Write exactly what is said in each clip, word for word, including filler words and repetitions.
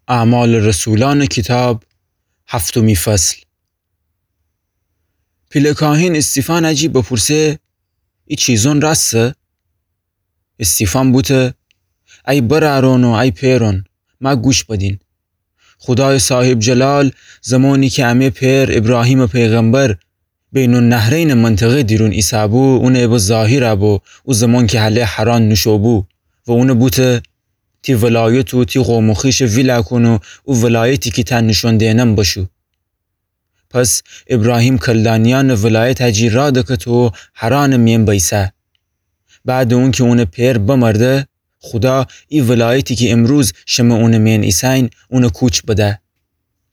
اعمال رسولان کیتاب، هفتمی فصل. پیله کاهین استیفان جی بپورسه: ای چیزون راستسه؟ استیفان بوته: ای برأرون و ای پئرون، مأ گوش بدین. خودایٚ صاحب جلال زمانی کی امه پئر ایبراهیمٚ پیغمبر بین‌النهرینٚ منطقه دیرون ایسه‌بو، اونٚ به ظاهر بو، او زمان کی هله حران نوشوبو و اونٚ بوته: تی ولایت و تی قوم و خویشٚ ویلا کون و او ولایتی کی تأ نوشون دئنم بشو. پس ایبراهیم کلدانیأنٚ ولایت جی راه دکته و حرانٚ مئن بیسه. بعدٚ اونکی اونٚ پئر بمرده، خودا ای ولایتی کی امروز شمه اونٚ مئن ایسه‌یین، اونٚ کوچ بده.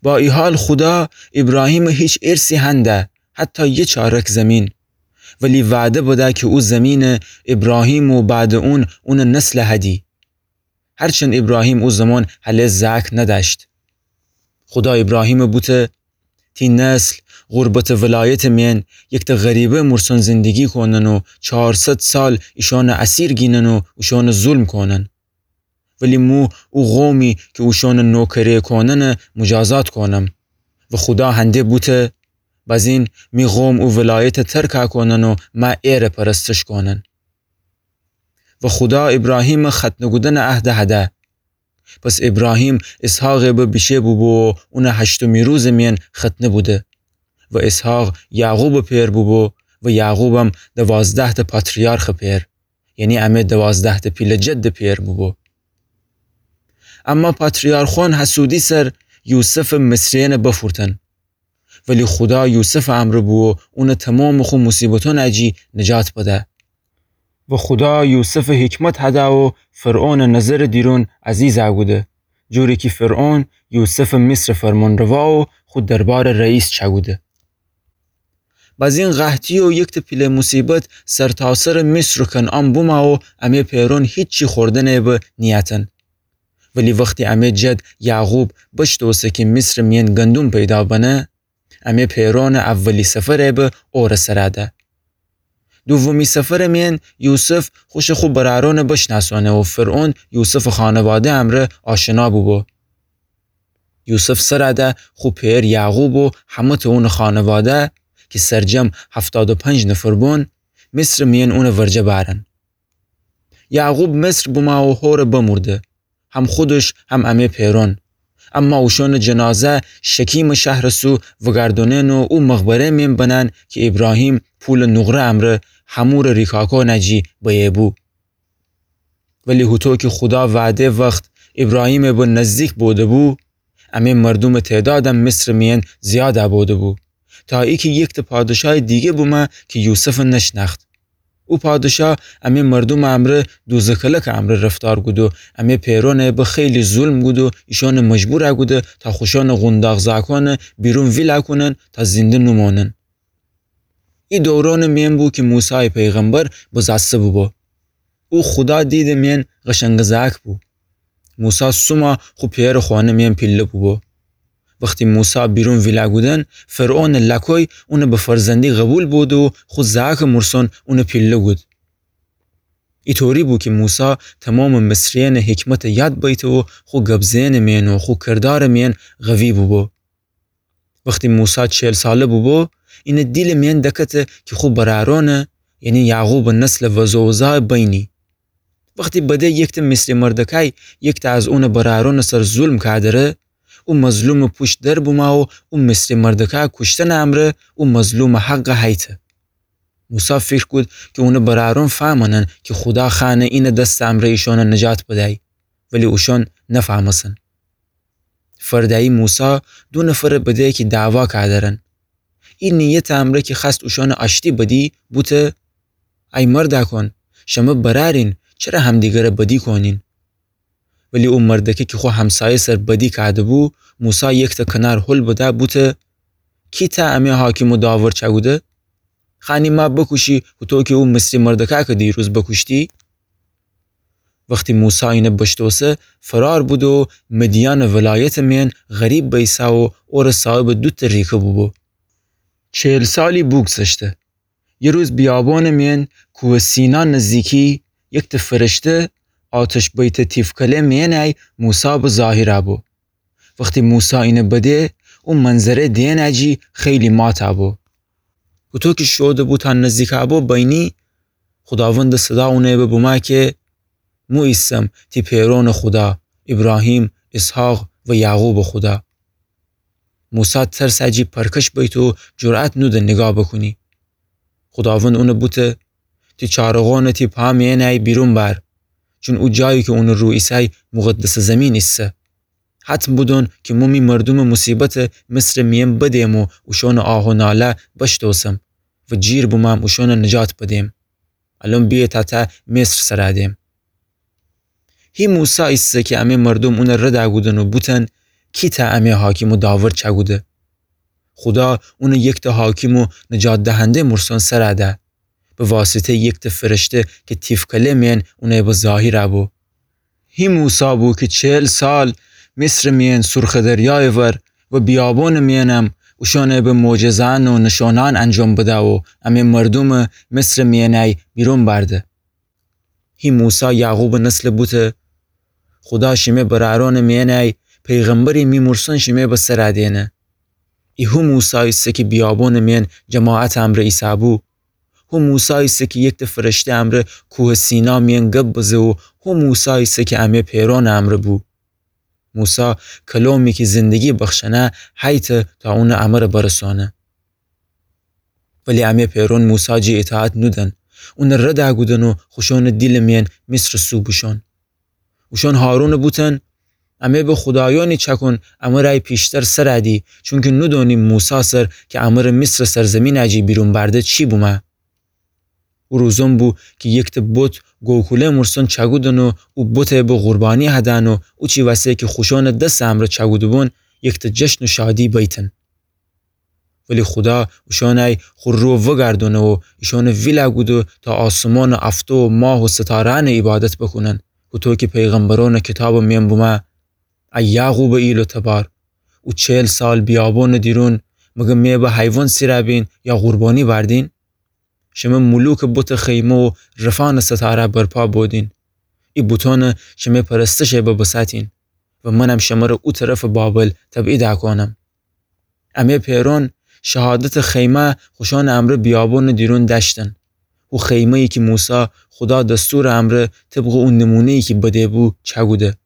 با ای حال خودا ایبراهیمٚ هیچ ارثی هنده، حتی یه چارک زمین. ولی وعده بده کی او زمین ایبراهیم و بعدٚ اون، اونٚ نسل هدی. هرچند ایبراهیم او زمان هله زأک ندأشت. خودا ایبراهیم بوته: تی نسل غربتٚ ولایتٚ مئن یکته غریبه مورسون زندگی کونن و چارصد سال ایشون اسیر گینن و اوشون ظلم کونن. ولی مو او قومی کی اوشون نوکری کونن مجازات کونم. و خودا هنده بوته: بزین می قوم او ولایت ترک کونن و مأ ایره پرستش کونن. و خودا ایبراهیم ختنه کودن عهد هده. پس ایبراهیم اسحاق به بیشه بوبو و اونٚ هشتمی روزٚ مئن ختنه بوده. و اسحاق یعقوبٚ پئر بوبو و یعقوبم دوازده‌تأ پاتریارخٚ پئر، یعنی امه دوازده‌تأ پیله جدٚ پئر بوبو. اما پاتریارخون حسودی سر یوسفٚ مصریأن بفورتن. ولی خودا یوسفٚ امرأ بو و اونٚ تومامٚ خو مصیبتون جی نجات بده. و خودا یوسفٚ حکمت هده و فرعونٚ نظرٚ دیرون عزیز کوده، جوری کی فرعون یوسفٚ مصرٚ فرمانروا و خو دربارٚ رئیس چأکوده. بزین قحطی و یکته پیله مصیبت سرتاسرٚ مصر و کنعان بومه و امه پئرون هیچی خوردنٚ به نیأتن. ولی وختی امه جد یعقوب بشتوسه کی مصرٚ مئن گندوم پیدا بنه، امه پئرونٚ اولی سفر به اورٚ سر ده. دومی سفرٚ مئن یوسف خوشٚ خو برأرون بشناسونه و فرعون یوسفٚ خانواده امرأ آشنا بوبو. یوسف سر ده خو پئر یعقوب و همه‌تأ اونٚ خانواده کی سرجم هفتاد و پنج نفر بون، مصرٚ مئن اونٚ ورجه بأرن. یعقوب مصر بومه و هوره بمورده، هم خودش هم امه پئرون. اما اوشونٚ جنازه شکیمٚ شهرٚ سو وگردونن و او مقبره مئن بنن کی ایبراهیم پولٚ نقره امرأ حمورٚ ریکاکون جی بیه بو. ولی هوطو کی خودا وعده وخت ایبراهیمٚ به نزدیک بوده بو، امه مردومٚ تعدادم مصرٚ مئن زیاد بوده بو، تا ایکی یکته پادشایٚ دیگه بومه کی یوسف نشنأخت. او پادشا امه مردومٚ امرأ دوزه کلکٚ امرأ رفتار کود و امه پئرون به خیلی ظلم کود و ایشون مجبور کوده تا خوشون قونداق زاکون بیرون ویلا کونن تا زنده نومونن. ای دورونٚ مئن بو کی موسی پیغمبر بزأسته بوبو. او خودا دیدٚ مئن قشنگٚ زأک بو. موسی سوما خو پئرٚ خونٚ مئن پیله بوبو. وختی موسی بیرون ویلا کودن، فرعونٚ لأکوی اون به فرزندی قوبیل بوده و خو زأکٚ مورسون اون پیله کود. ایطوری بو کی موسی تومامٚ مصریأنٚ حکمت یاد بیته و خو گب زئنٚ مئن و خو کردارٚ مئن قوی بوبو. وختی موسی چل ساله بوبو، اینٚ دیلٚ مئن دکته کی خو برأرونٚ، یعنی یعقوبٚ نسلٚ وزوزا بینی. وختی بده یکته مصری مردکای یکته از اونٚ برأرونٚ سر ظلم کادره، او مظلومٚ پوشت در بومه و او مصری مردکای کوشتنٚ امرأ او مظلومٚ حقٚ هیته. موسی فیکر کود کی اونٚ برأرون فهمنن کی خودا خوأنه اینٚ دستٚ امرأ ایشون نجات بدی، ولی اوشون نفهمسن. فرده‌یی موسی دو نفرٚ بده کی دعوا کادرن. ای نیتٚ امرأ کی خوأست اوشون آشتی بدی، بوته: ای مردأکون، شمه برأرین، چره همدیگرٚ بدی کونین؟ ولی او مردکه کی خو همسایه سر بدی کاده‌بو، موسی یکته کنار هل بده، بوته: کی تأ امه حاکم و داور چأکوده؟ خوأنی ما بکوشی، هوطو کی او مصری مردکه کی دیروز بکوشتی؟ وختی موسی اینه بشتوسه، فرار بوده و مدیانٚ ولایتٚ مئن غریب بیسه و اوره صاحبٚ دوتأ ریکه بوبو. چل سالی بوگذشته. یه روز بیابونٚ مئن کوهٚ سینا نزدیکی، یکته فرشته آتش بیته تیفکله مئنی موسی به ظاهر بو. وختی موسی اینه بده، او منظره دئنه جی خیلی ماته بو. هوطو کی شوده بو تا نزدیکه بو بینی، خوداوندٚ صدا اونٚ به بومه کی مو ایسم تی پئرونٚ خودا، ایبراهیم، اسحاق و یعقوبٚ خودا. موسی ترسه جی پرکش بیت و جرأت نوده نیگاه بوکونی. خوداوند اونه بوته، تی چارغونه تی پا میأنه بیرون بأر، چون او جایی کی اونٚ رو ایسای مقدسٚ زیمین ایسه. حتم بودون کی مو می مردومٚ موصیبته مصرٚ میأن بدم و اوشونٚ آه و ناله بشتوسم و جیر بومم اوشونه نجات بدم. الأن بیه تا ته مصر سر دم. هی موسی ایسه کی امه مردوم اونه رد کودن و بوتن، کی ته امه حاکم و داور چأکوده؟ خودا اونه یکته حاکم و نجات دهنده مرسون سر ده، به واسطه‌یٚ یکته فرشته کی تیفکله میأن اونه به ظاهر بو. هی موسی بو کی چهل سال مصرٚ میأن سرخٚ دریایٚ ور و بیابونٚ میأنم اوشونه به معجزه‌یأن و نشونه‌یأن انجام بده و امه مردومه مصرٚ میأنه بیرون بأرده. هی موسی یعقوبٚ نسل بوته، خودا شیمه برأرونٚ میأنه پیغمبری می مرسون شیمه به سر دئنه. ای هو موسی ایسه کی بیابونٚ میأن جماعتٚ امرأ ایسه‌بو. هو موسی ایسه کی یکته فرشته امرأ کوهٚ سینا میأن گب بزه و هو موسی ایسه کی امه پئرونٚ امرأ بو. موسی کلومی کی زندگی بخشأنه هیته تا اونٚ امرأ برسونه. ولی امه پئرون موسی جی اطاعت نودن، اونه رد کودن و خوشونٚ دیلٚ میأن مصرٚ سو بوشون. اوشون هارونه بوتن، امه به خودایونی چأکون امرأ پیشتر سر دی، چونکی نودونیم موسی سر کی امرأ مصرٚ سرزیمین جی بیرون بأرده چی بومه. او روزون بو کی یکته بت گوکوله مرسون چأکودن و او بته به قربانی هدأن و اوچی وسه کی خوشونٚ دسٚ امرأ چأکوده‌بون یکته جشن و شادی بیتن. ولی خودا اوشانه خو رو وگردونه و ایشانه ویل کوده تا آسمانٚ افتو و ماه و ستاره‌یأنه عیبادت بوکونن. هوطو کی پیغمبرونٚ کیتابٚ میأن بومه، ای یعقوبٚ ایل و تبار، او چهل سال بیابونٚ دیرون مگه می به حیوان سیر بین یا قربانی بردین؟ شمه ملوکٚ بتٚ خیمه و رفأنٚ ستاره برپا بودین. ای بتأنه شمه پرستشه به بساتین و منم شمره او طرفٚ بابل تبعید کونم. امه پئرون شهادتٚ خیمه خوشانٚ امرأ بیابونٚ دیرون دأشتن. او خیمه‌یی کی موسی خودا دستورٚ امرأ طبقٚ او نمونه‌یی کی بده‌بو چأکوده.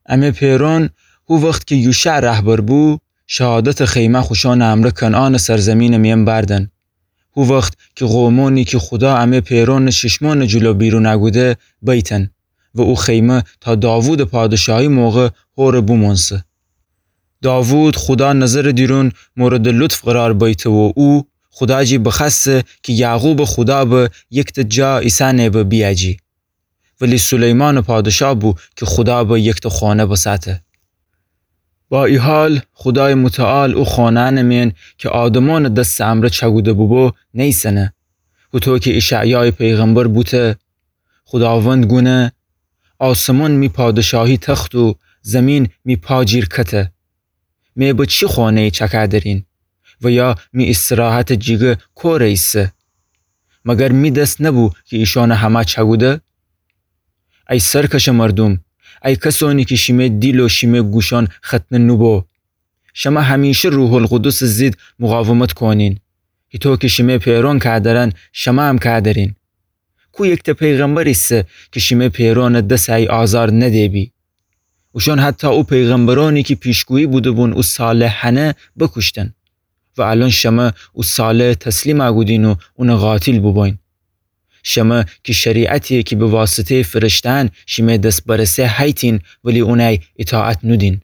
امه پئرون هو وخت کی یوشع رهبر بو، شهادتٚ خیمه خوشانٚ امرأ کنعانٚ سرزیمینٚ میأن بردن. هو وخت کی قومأنی کی خودا امه پئرونٚ چشمأنٚ جلو بیرون کوده بیتن و او خیمه تا داوودٚ پادشاهی موقع هوره بومونسه. داوود خودا نظرٚ دیرون موردٚ لطف قرار بیته و او خودا جی بخوأسته کی یعقوبٚ خودا به یکته جا ایسأنه به بیأجی. ولی سلیمانٚ پادشاه بو کی خودا به یکته خانه بساته. با ای حال خودایٚ متعال او خانه‌یأنٚ میأن کی آدمأنٚ دستٚ امرأ چأکوده بوبو نیسنه. هوطو کی اشعیایٚ پیغمبر بوته، خوداوند گونه، آسمان می پادشاهی تخت و زیمین می پا جیر کته. می به چی خانه‌یی چأکه درین؟ و یا می استراحتٚ جیگه کوره ایسه؟ مگر می دس نبو کی ایشأنه همه چأکوده؟ ای سرکشٚ مردوم، ای کسأنی کی شیمه دیل و شیمه گوشأن ختنه نوبو، شمه همیشه روح‌القدسٚ ضد مقاومت کونین. هیطو کی شیمه پئرون که درن، شمه هم که درین. کو یکته پیغمبر ایسه کی شیمه پئرونٚ دسٚ ای آزار نده‌بی؟ اوشأن حتی او پیغمبرأنی کی پیشگویی بوده‌بون او صالحأنه بوکوشتن. و الأن شمه او صالح تسلیم کودین و اونٚ قاتل بوبوین. شمه کی شریعتی کی به واسطه‌یٚ فرشته‌یأن شیمه دس برسه هیتین، ولی اونٚ اطاعت نودین.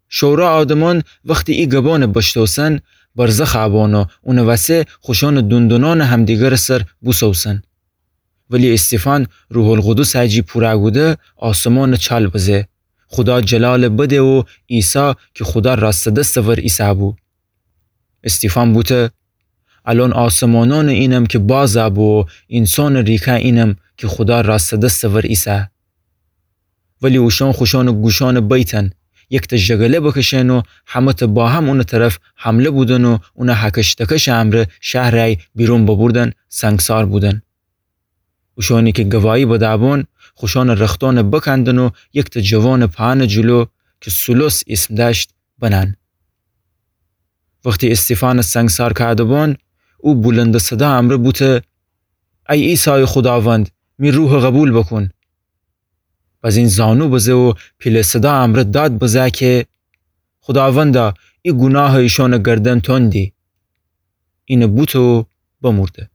شورا آدمأن وختی ای گبأنٚ بشتوسن، برزخ بون و اونٚ وسه خوشأنٚ دندونأنٚ همدیگرٚ سر بوسوسن. ولی استیفان روح‌القدسٚ جی پوره کوده آسمانٚ چال بزه. خودا جلال بده و عیسی کی خودا راستٚ دستٚ ور ایسه‌بو. استیفان بوته، الأن آسمانأنٚ اینم کی باز بو و اینسانٚ ریکه اینم کی خودا راستٚ دستٚ ور ایسه. ولی اوشأن خوشأنٚ گوشأنٚ بیتن، یکته ژگله بکشن و همه‌ته با هم اونٚ طرف حمله بودن و اونٚ هکش دکشٚ امرأ شهرٚ ای بیرون ببردن، سنگسار بودن. اوشأنی کی گواهی بده‌بون، خوشأنٚ رختأن بکندن و یکته جوانٚ پهنٚ جلو کی سولوس ایسم دأشت بنأن. وختی ایستیفانس سنگسار کأده‌بون، او بولندٚ صدا امرأ بوته: ای عیسایٚ خوداوند، می روحٚ قوبیل بوکون. بزین زانو بزه و پیله صدا امرأ داد بزه کی: خوداوندا، ای گوناهٚ ایشونٚ گردن تندی. اینه بوته و بمورده.